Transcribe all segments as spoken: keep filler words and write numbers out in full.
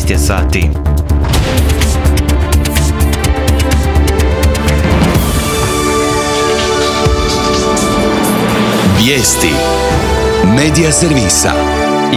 šesnaest je sati. Vijesti Medija servisa.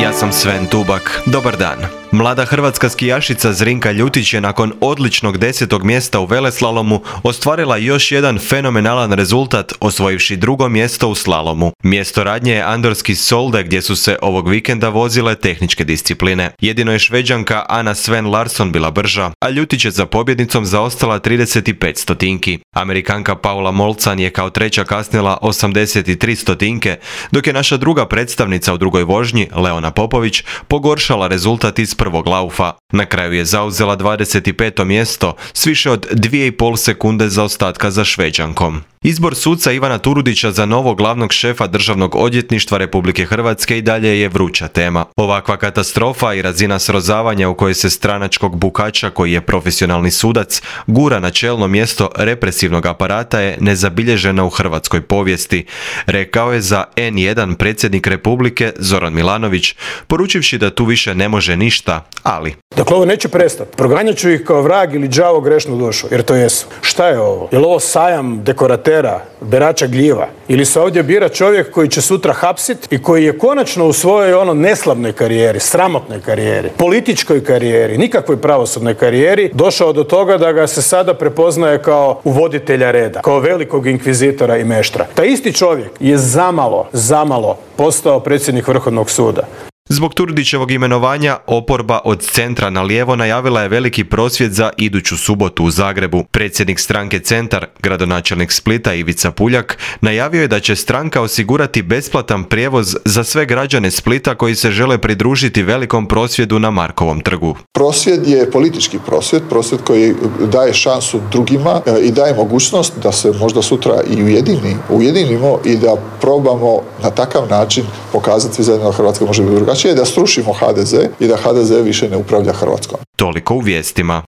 Ja sam Sven Tubak. Dobar dan. Mlada hrvatska skijašica Zrinka Ljutić je nakon odličnog desetog mjesta u veleslalomu ostvarila još jedan fenomenalan rezultat, osvojivši drugo mjesto u slalomu. Mjesto radnje je Andorski Solde, gdje su se ovog vikenda vozile tehničke discipline. Jedino je Šveđanka Anna Sven Larsson bila brža, a Ljutić je za pobjednicom zaostala trideset pet stotinki. Amerikanka Paula Molcan je kao treća kasnila osamdeset tri stotinke, dok je naša druga predstavnica u drugoj vožnji, Leona Popović, pogoršala rezultat iz prvog laufa. Na kraju je zauzela dvadeset peto mjesto s više od dvije i pol sekunde zaostatka za Šveđankom. Izbor suca Ivana Turudića za novog glavnog šefa Državnog odvjetništva Republike Hrvatske i dalje je vruća tema. Ovakva katastrofa i razina srozavanja u kojoj se stranačkog bukača, koji je profesionalni sudac, gura na čelno mjesto represivnog aparata je nezabilježena u hrvatskoj povijesti, rekao je za en jedan predsjednik Republike Zoran Milanović, poručivši da tu više ne može ništa, ali... Dakle, ovo neće prestati. Proganjat ću ih kao vrag ili đavo grešnu dušu, jer to jesu. Šta je ovo? Je li ovo sajam dekoratera, berača gljiva? Ili se ovdje bira čovjek koji će sutra hapsit i koji je konačno u svojoj ono neslavnoj karijeri, sramotnoj karijeri, političkoj karijeri, nikakvoj pravosudnoj karijeri, došao do toga da ga se sada prepoznaje kao uvoditelja reda, kao velikog inkvizitora i meštra. Taj isti čovjek je zamalo, zamalo postao predsjednik Vrhovnog suda. Zbog Turudićevog imenovanja, oporba od centra na lijevo najavila je veliki prosvjed za iduću subotu u Zagrebu. Predsjednik stranke Centar, gradonačelnik Splita Ivica Puljak, najavio je da će stranka osigurati besplatan prijevoz za sve građane Splita koji se žele pridružiti velikom prosvjedu na Markovom trgu. Prosvjed je politički prosvjed, prosvjed koji daje šansu drugima i daje mogućnost da se možda sutra i ujedini, ujedinimo i da probamo na takav način pokazati zajedno da Hrvatska može biti drugačija, da srušimo ha de ze i da ha de ze više ne upravlja Hrvatskom. Toliko u vijestima.